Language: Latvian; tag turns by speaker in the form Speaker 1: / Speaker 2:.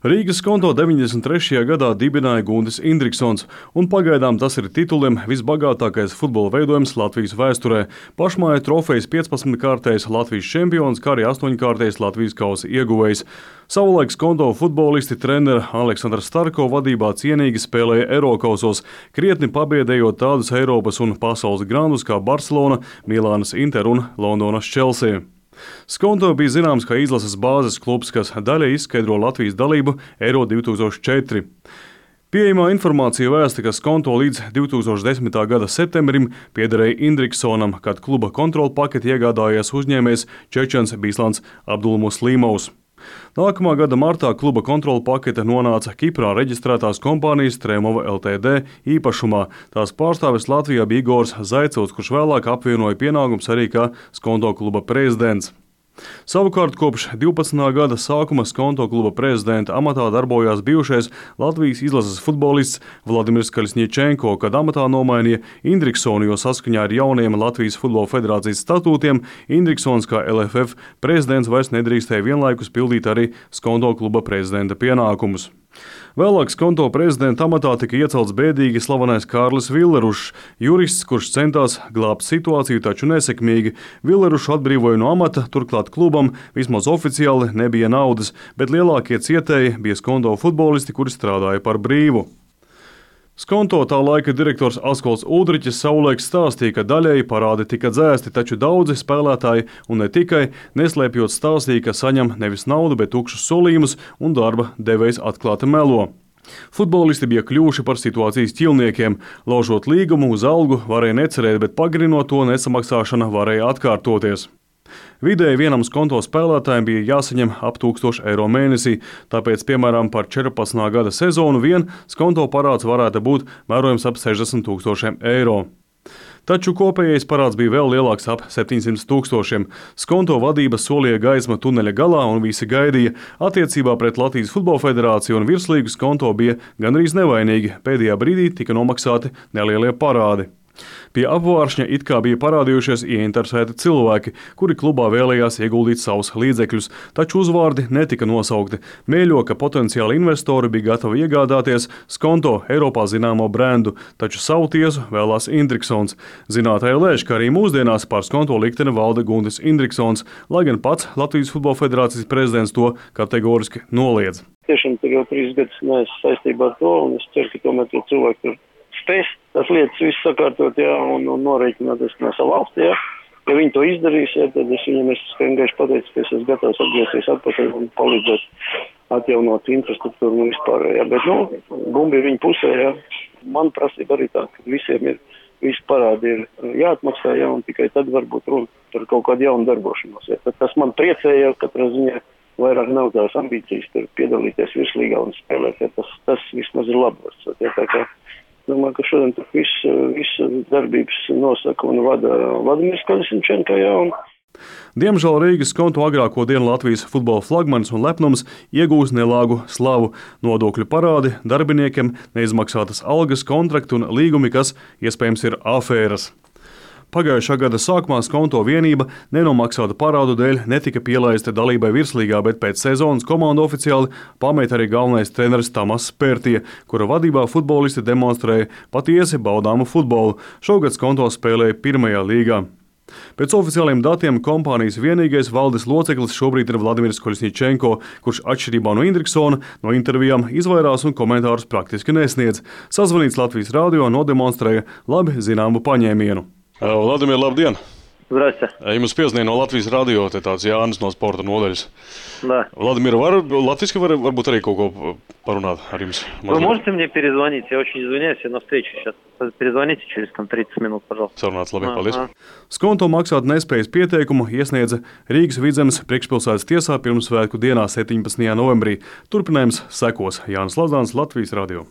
Speaker 1: Rīgas konto 93. gadā dibināja Guntis Indriksons, un pagaidām tas ir tituliem visbagātākais futbola veidojums Latvijas vēsturē. Pašmāja trofejas 15-kārtais Latvijas čempions, kā arī 8-kārtais Latvijas kausa ieguvējs. Savulaik konto futbolisti treneri Aleksandrs Starko vadībā cienīgi spēlēja Eirokausos, krietni pabiedējot tādus Eiropas un pasaules grandus kā Barcelona, Milānas Inter un Londonas Chelsea. Skonto bija zināms kā izlases bāzes klubs, kas daļai izskaidro Latvijas dalību Eiro 2004. Pieejamā informācija vēsta, ka Skonto līdz 2010. gada septembrim piederēja Indriksonam, kad kluba kontrola paketi iegādājies uzņēmējs Čečens Bislans Abdulmuslimovs. Nākamā gada martā kluba kontrola pakete nonāca Kiprā reģistrētās kompānijas Tremova Ltd. Īpašumā. Tās pārstāvis Latvijā bija Igors Zaicevs, kurš vēlāk apvienoja pienākumus arī kā Skonto kluba prezidents. Savukārt kopš 12. gada sākuma Skonto kluba prezidenta amatā darbojās bijušais Latvijas izlases futbolists Vladimirs Kaļsņiečenko, kad amatā nomainīja Indriksonu, jo saskaņā ar jauniem Latvijas futbola federācijas statūtiem Indriksons kā LFF prezidents vairs nedrīkstēja vienlaikus pildīt arī Skonto kluba prezidenta pienākumus. Vēlāk Skonto prezidenta amatā tika iecelts bēdīgi slavenais Kārlis Villerušs, jurists, kurš centās glābt situāciju, taču nesekmīgi. Villerušu atbrīvoja no amata, turklāt klubam vismaz oficiāli nebija naudas, bet lielākie cietēji bija Skonto futbolisti, kuri strādāja par brīvu. Skonto tā laika direktors Askolds Udriķis savulaik stāstīja, ka daļēji parādi tika dzēsti, taču daudzi spēlētāji, un ne tikai, neslēpjot stāstīja, ka saņem nevis naudu, bet tukšus solījumus, un darba devējs atklāti melo. Futbolisti bija kļuvuši par situācijas ķilniekiem. Laužot līgumu uz algu varēja necerēt, bet pagarinot to nesamaksāšana varēja atkārtoties. Vidēji vienam Skonto spēlētājiem bija jāsaņem ap 1000 eiro mēnesī, tāpēc, piemēram, par 14. gada sezonu vien Skonto parāds varētu būt mērojams ap 60 000 eiro. Taču kopējais parāds bija vēl lielāks ap 700 000. Skonto vadība solīja gaismu tuneļa galā un visi gaidīja. Attiecībā pret Latvijas Futbola Federāciju un virslīgu Skonto bija gandrīz nevainīgi. Pēdējā brīdī tika nomaksāti nelielie parādi. Pie apvāršņa it kā bija parādījušies ieinteresēti cilvēki, kuri klubā vēlējās ieguldīt savus līdzekļus, taču uzvārdi netika nosaukti. Mēļo, ka potenciāli investori bija gatavi iegādāties Skonto Eiropā zināmo brendu, taču savu tiesu vēlās Indriksons. Zinātāji lēš, ka arī mūsdienās par Skonto likteni valda Guntis Indriksons, lai gan pats Latvijas Futbola Federācijas prezidents to kategoriski noliedz.
Speaker 2: Tiešām tur jau 3 gadus neesmu saistībā ar to, un es ceru, ka tomēr tie cilvēki tur spēs tās lietas visu sakārtot, un norēķināties no savu valsti, Ja viņi to izdarīs, tad es viņam vienkārši pateicu, ka es esmu gatavs atgriezties atpakaļ un palīdzēt atjaunot infrastruktūru un vispār, Bet, bumbi ir viņa pusē, Man prasība arī tā, ka visiem visi parādi ir jāatmaksā, un tikai tad varbūt runa par kaut kādu jaunu darbošanos, Tad tas man priecēja, katrā ziņā vairāk nav tās ambīcijas tur piedalīties virslīgā un spēlēt, Tas vismaz ir labos, Tā kā domāju, ka šodien tur visu darbības nosaka un vada Vladimirs Kaļsņiečenko,
Speaker 1: Diemžēl Rīgas Skonto agrāko dienu Latvijas futbola flagmanis un lepnums iegūs nelāgu slavu, nodokļu parādi, darbiniekiem neizmaksātas algas, kontrakti un līgumi, kas iespējams ir afēras. Pagājušā gada sākumā Skonto vienība nenomaksāta parādu dēļ netika pielaista dalībai virslīgā, bet pēc sezonas komandu oficiāli pameta arī galvenais treneris Tamas Pērtie, kura vadībā futbolisti demonstrēja patiesi baudāmu futbolu. Šogad Skonto spēlēja pirmajā līgā. Pēc oficiāliem datiem kompānijas vienīgais valdes loceklis šobrīd ir Vladimirs Kaļsņiečenko, kurš atšķirībā no Indriksona no intervijām izvairās un komentārus praktiski nesniedz. Sazvanīts Latvijas radio nodemonstrēja labi zināmu paņēmienu. Vladimir, labdien!
Speaker 2: Zdrasте.
Speaker 1: Jums piezvanīja no Latvijas radio, te tāds Jānis no sporta nodaļas.
Speaker 2: Да.
Speaker 1: Владимир, латвийски varbūt arī kaut ko parunāt ar jums?
Speaker 2: Вы можете мне перезвонить? Я очень извиняюсь, я на встречу сейчас. Перезвоните через 30 минут, пожалуйста.
Speaker 1: Sarunāts, labi, paldies. Skonto maksāt nespējas pieteikumu iesniedza Rīgas Vidzemes priekšpilsētas tiesā pirmsvētku dienā 17. novembrī. Turpinājums sekos. Jānis Lazāns, Latvijas radio.